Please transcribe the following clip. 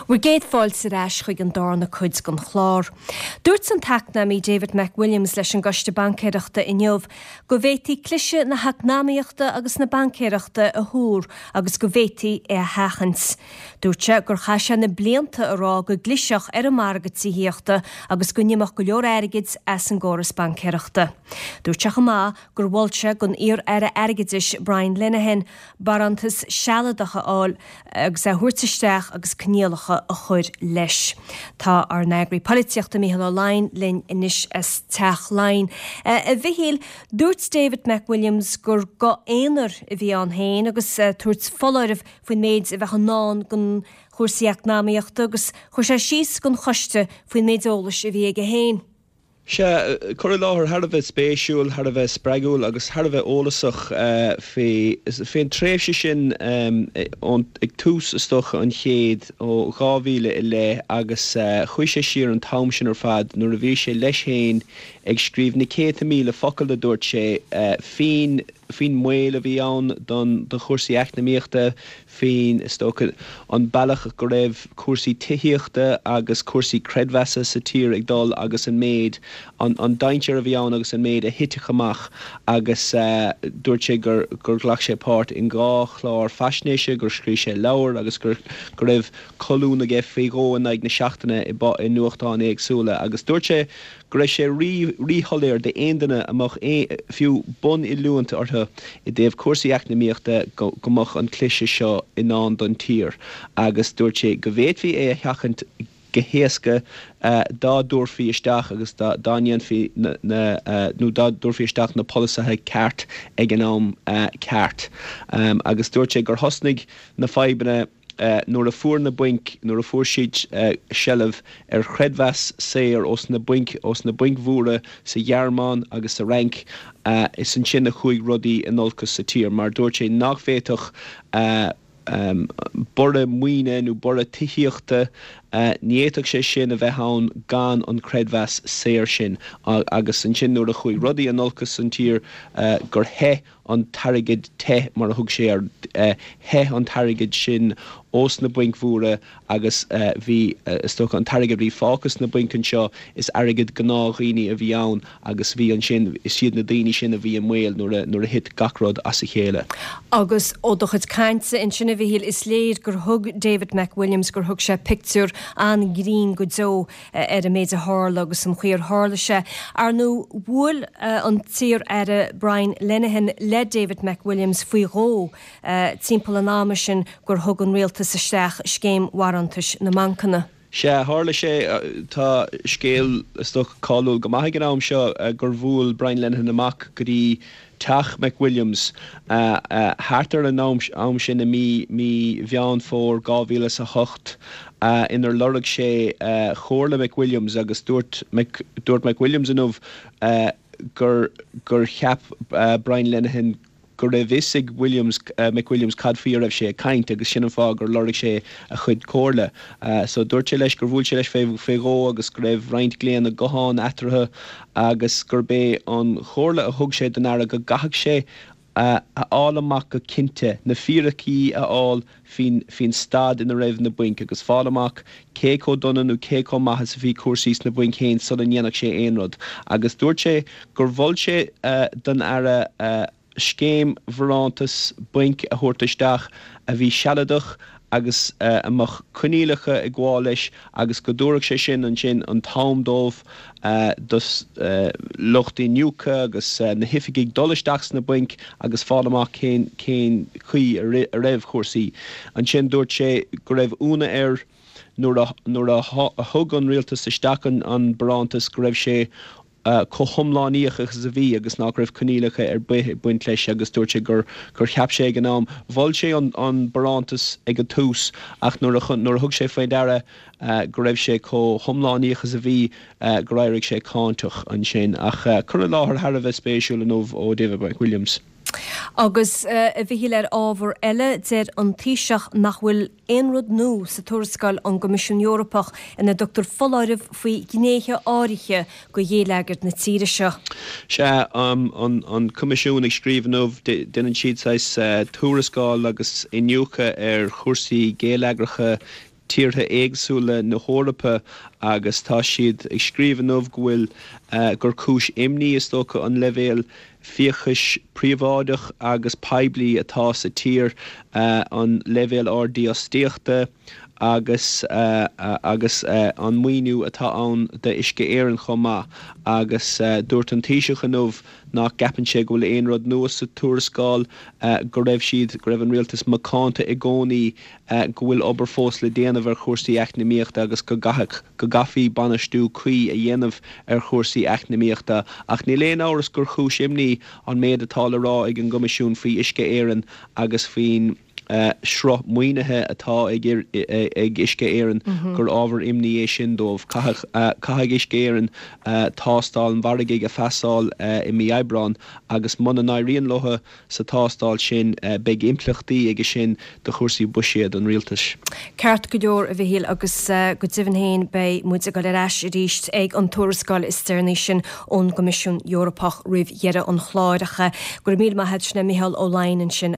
Bhur gcéad fáilte ar ais chuig an darna cuid den chlár. Dúirt an t-eacnamaí David McWilliams leis an gCoiste Baincéireachta inniu go bhféadfaí cliseadh na heacnamaíochta agus na baincéireachta a thuar agus go bhféadfaí é a sheachaint. Dúirt sé gur chaith sé na blianta ag rá go gclisfeadh ar an margadh tithíochta agus go n-imeodh go leor airgid as an gcóras baincéireachta. Dúirt sé chomh maith gur mhol sé don iar-aire airgeadais Brian Lenihan barántas sealadach a fháil agus é a thabhairt isteach agus coinníollacha a chur leis. Tá ár n-eagraí polaitíochta Mícheál Ó Laighin linn anois as Teach Laighean. A Mhichíl, dúirt David McWilliams gur guth aonair a bhí ann féin agus ag tabhairt foláireamh faoin méid a bheadh i ndán don chúrsaí eacnamaíochta agus chuir sé síos don choiste faoin méid eolais a bhí aige féin. Sea, cur i láthair thar a bheith spéisiúil, thar a bheith spreagúil agus thar a bheith eolasach faoi, faoin tréimhse sin ón, ag tús is dócha an chéid, ó 2000 i leith agus chuaigh sé siar an t-am sin ar fad nuair a bhí sé leis féin ag scríobh na céadta míle focal a dúirt sé faoin, faoin mbaol a bhí ann don, do chúrsaí eacnamaíochta, faoin, is dócha, an bealach go raibh cúrsaí tithíochta agus cúrsaí creidmheasa sa tír ag dul agus an méid, an dainséar a bhí ann agus an méid a thitfeadh amach agus dúirt sé gur, gur ghlac sé páirt in dhá chlár faisnéise, gur scríobh sé leabhar agus gur, go raibh colún aige faoi dhó in aghaidh na seachtaine i, i nuachtáin éagsúla agus dúirt sé go raibh sé rí-shoiléir d'aon duine a mbeadh fiú bun-oiliúint orthu i dtaobh cúrsaí eacnamaíochta go mbeadh an cliseadh seo i ndán don tír agus dúirt sé go bhféadfaí é a sheachaint go héasca dá dtabharfaí isteach agus dá ndéanfaí na nó dá dtabharfaí isteach na polasaithe ceart ag an am ceart agus dúirt sé gur thosnaigh na fadhbanna nuair a fuair na bainc, nuair a fuair siad seilbh ar chreidmheas saor ós na bainc, ós na bainc mhóra sa Ghearmáin agus sa Fhrainc, is ansin a chuaigh rudaí in olcas sa tír mar dúirt sé nach bhféadfadh borradh maoine nó borradh tithíochta, ní fhéadfadh sé sin a bheith ann gan an creidmheas saor sin agus ansin nuair a chuaigh rudaí in olcas san tír gur theith an t-airgead te, mar a thug sé air, theith an t-airgead sin ós na bainc mhóra agus bhí, is dócha, an t-airgead a bhí fágtha sna bainc anseo, is airgead gnáthdhaoine a bhí ann agus bhí ansin, is iad na daoine sin a bhí i mbaol nuair a, nuair a thit gach rud as a chéile. Agus ó do chuid cainte ansin, a Mhichíl, is léir gur thug David McWilliams, gur thug sé pictiúr an-ghrinn go deo ar an méid a tharla agus an chaoi ar tharla sé. Ar ndóigh, bhuail an t-iar-aire Brian Lenihan le David McWilliams faoi dhó timpeall an ama sin gur thug an rialtas isteach scéim bharántais na mbancanna. Sea, tharla sé. Tá scéal, is dócha, cáiliúil go maith ag an am seo gur bhuail Brian Lenihan amach go dtí teach McWilliams thart ar an am sin i mí mí Mheán Fómhair 2008 inar lorg sé comhairle McWilliams agus dúirt dúirt McWilliams inniu gur gur cheap Brian Lenihan go raibh fhios ag Williams McWilliams cad faoi a raibh sé ag caint agus sin an fáth gur lorg sé a chuid comhairle. So dúirt sé leis gur bhuail sé leis fé dhó agus go raibh roinnt glaonna gutháin eatarthu agus gurb é an chomhairle a thug sé don Aire go gcaithfeadh sé a fháil amach go cinnte, na fíricí a fháil faoin staid ina raibh na bainc agus fáil amach cé chomh dona nó cé chomh maith is a bhí cúrsaí sna bainc féin sula ndéanfadh sé aon rud. Agus dúirt sé gur mhol sé don Aire scéim bharántas bainc a thabhairt isteach a bhí sealadach agus a mbeadh coinníollacha ag gabháil leis agus go dtabharfadh sé sin ansin an t-am dóibh, dos lucht iniúchta agus na hoifigigh dul isteach sna bainc agus fáil amach cén cén chaoi a raibh cúrsaí. Ansin dúirt sé go raibh ionadh air nuair a nuair a thug an rialtas isteach an barántas go raibh sé chomh hiomlánaíoch agus a bhí agus nach raibh coinníollacha ar bith ag baint leis agus dúirt sé gur gur cheap sé ag an am, mhol sé an an barántas ag an tús ach nuair a nuair a thug sé faoi deara go raibh sé chomh hiomlánaíoch is a bhí gur éirigh sé cáinteach ansin. Ach cur i láthair thar a bheith spéisiúil inniu ó David McWilliams. Agus, a Mhichíl, ar ábhar eile, deir an Taoiseach nach bhfuil aon rud nua sa tuarascáil ón gCoimisiún Eorpach ina dtugtar foláireamh faoi ghnéithe áirithe de ghéilleagar na tíre seo. Sea, an Coimisiún ag scríobh inniu, déanann siad saghas tuarascáil agus iniúchadh ar chúrsaí géilleagracha. tíortha éagsúla na hEorpa agus tá siad ag scríobh inniu go bhfuil, gur cúis imní is dócha an leibhéal fiachais príobháideach agus poiblí atá sa tír, an leibhéal ard dífhostaíochta agus agus an maoiniú atá ann d'Uisce Éireann chomh maith. Agus dúirt an Taoiseach inniu nach gceapann sé go bhfuil aon rud nua sa tuarascáil, go raibh siad, go raibh an rialtas macánta i gcónaí go bhfuil obair fós le déanamh ar chúrsaí eacnamaíochta agus go gcaithfeadh, go gcaithfí bainistiú cuí a dhéanamh ar chúrsaí eacnamaíochta. Ach níl aon amhras gur chúis imní an méid atá le rá ag an gCoimisiún faoi Uisce Éireann agus faoin sruth maoinithe atá ag ag Uisce Éireann, gur ábhar imní é sin dóibh. Caithfidh, caithfidh Uisce Éireann tástáil an mhargaidh a phasáil i mí Aibreáin agus muna n-éiríonn leo, Sa tástáil sin, beidh impleachtaí aige sin do chúrsaí buiséad an rialtais. Ceart go leor, a Mhichíl, agus go deimhin féin beidh muid ag dul ar ais arís ag an tuarascáil is deireanaí sin ón gCoimisiún Eorpach roimh dheireadh an chláir. Ach go raibh míle maith a't, sin é Micheál Ó Laighin ansin.